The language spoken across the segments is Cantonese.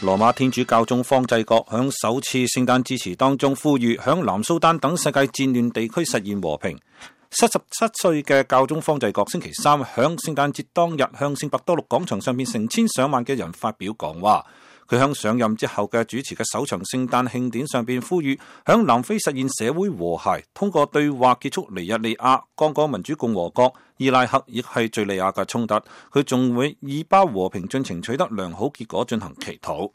羅馬天主教宗方濟各響首次聖誕致辭當中呼籲響南蘇丹等世界戰亂地區實現和平。77歲嘅教宗方濟各星期三響聖誕節當日向聖伯多祿廣場上面成千上萬嘅人發表講話。佢向上任之後嘅主持嘅首場聖誕慶典上邊呼籲響南非實現社會和諧，通過對話結束尼日利亞、剛果民主共和國、伊拉克亦係敘利亞嘅衝突。佢仲會以巴和平進程取得良好結果進行祈禱。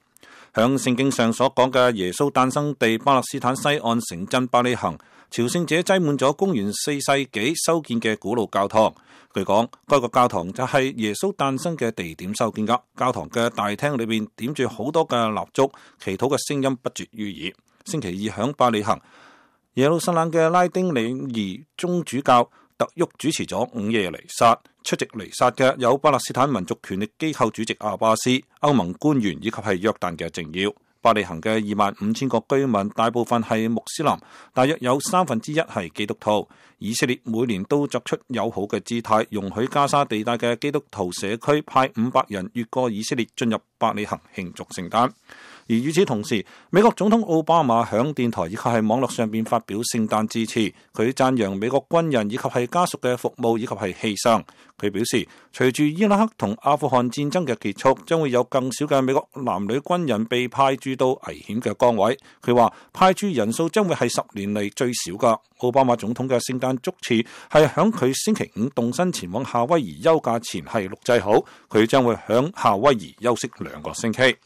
響聖經上所講嘅耶穌誕生地巴勒斯坦西岸城鎮伯利恆，朝聖者擠滿咗公元4世紀修建嘅古老教堂。據講，該個教堂就係耶穌誕生嘅地點修建噶。教堂嘅大廳裏邊點住好多嘅蠟燭，祈禱嘅聲音不絕於耳。星期二響伯利恆，耶路撒冷嘅拉丁禮儀宗主教特沃主持咗午夜彌撒。出席彌撒嘅有巴勒斯坦民族權力機構主席阿巴斯、歐盟官員以及係約旦嘅政要。伯利恆嘅25000個居民大部分係穆斯林，大約有1/3係基督徒。以色列每年都作出友好嘅姿態，容許加沙地帶嘅基督徒社區派500人越過以色列進入伯利恆慶祝聖誕。而與此同時，美國總統奧巴馬響電台以及係網絡上邊發表聖誕致辭，佢讚揚美國軍人以及係家屬嘅服務以及係犧牲。佢表示，隨住伊拉克同阿富汗戰爭嘅結束，將會有更少嘅美國男女軍人被派駐到危險嘅崗位。佢話派駐人數將會係10年嚟最少㗎。奧巴馬總統嘅聖誕祝詞係響佢星期五動身前往夏威夷休假前係錄製好，佢將會響夏威夷休息2個星期。